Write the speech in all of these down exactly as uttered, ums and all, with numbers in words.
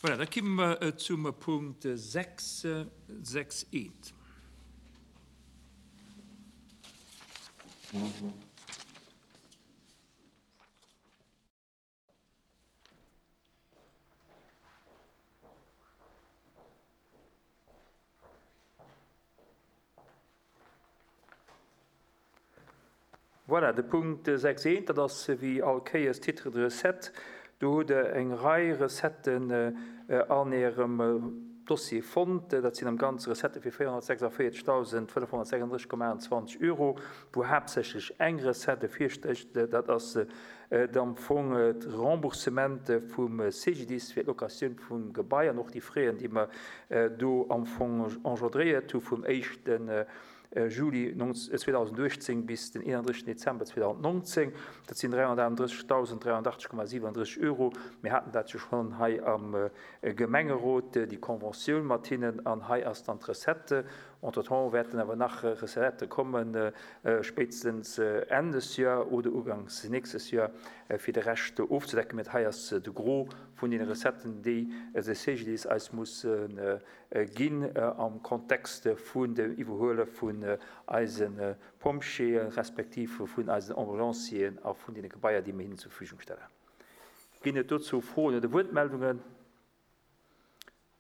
Voilà, da komme mer zum Punkt sechs, sechs eent. Voilà, de Punkt sechs eent, dat ass wéi all Kéiers Titre de recette. Do hutt Der eng Rei Recetten an Ärem Dossier fonnt. Dat sinn am Ganze Recettë fir véierhonnertsechsundvéierzegdausendfënnefhonnertsechsunddrësseg Komma achtundzwanzeg Euro, wou haaptsächlech eng Recette virstécht. Dat ass am Fong d'Remboursement vum C G D I S fir d'Locatioun vum Gebai an och déi Frais, déi mer do am Fong engendréiert hu vum éischten Juli zweedausendachtzehn bis den einunddrëssigsten Dezember zweedausendneunzehn. Dat sinn dräihonnertaachtunddrëssigdausend dräihonnertachtzeg Komma siebenunddrësseg Euro. Mir haten dat jo schonn hei am Gemengerot, déi Conventioun mat hinnen, an hei ass dann d'Recette. Entre-temps wäerten awer nach Recettë kommen, spéitstens Enn des Jahr oder ugangs nächstes Jahr, fir de Rescht ofzedecken. Mee hei ass de Gros vun den Recetten, déi de C G D I S eis muss ginn am Kontext vun dem Iwwerhuele vun eisen Pompjeeën, respektiv vun eisen Ambulancieren a vun den Gebaier, déi mir hinnen zur Verfügung stellen. Ginn et dozou Froen oder Wuertmeldungen?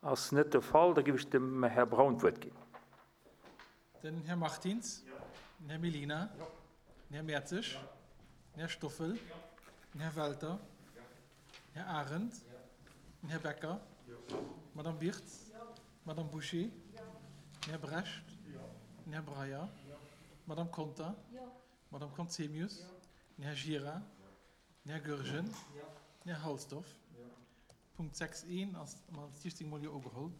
Ass net de Fall, da gebe ich dem Herr Braun d'Wuert ginn. Den Herr Martins, Ja. den Herr Melina, Ja. den Herr Mertzig, Ja. den Herr Stoffel, Ja. den Herr Welter, Ja. den Herr Arendt, Ja. den Herr Becker, Ja. Madame Wirtz, Ja. Madame Boucher, Ja. den Herr Brecht, Ja. den Herr Breyer, Ja. Madame Conter, Ja. Madame Conzemius, Ja. den Herr Gira, Ja. den Herr Goergen, Ja. den Herr Halsdorf. Ja. Punkt sechs eins ass mal siechzehn Mal hier geholt.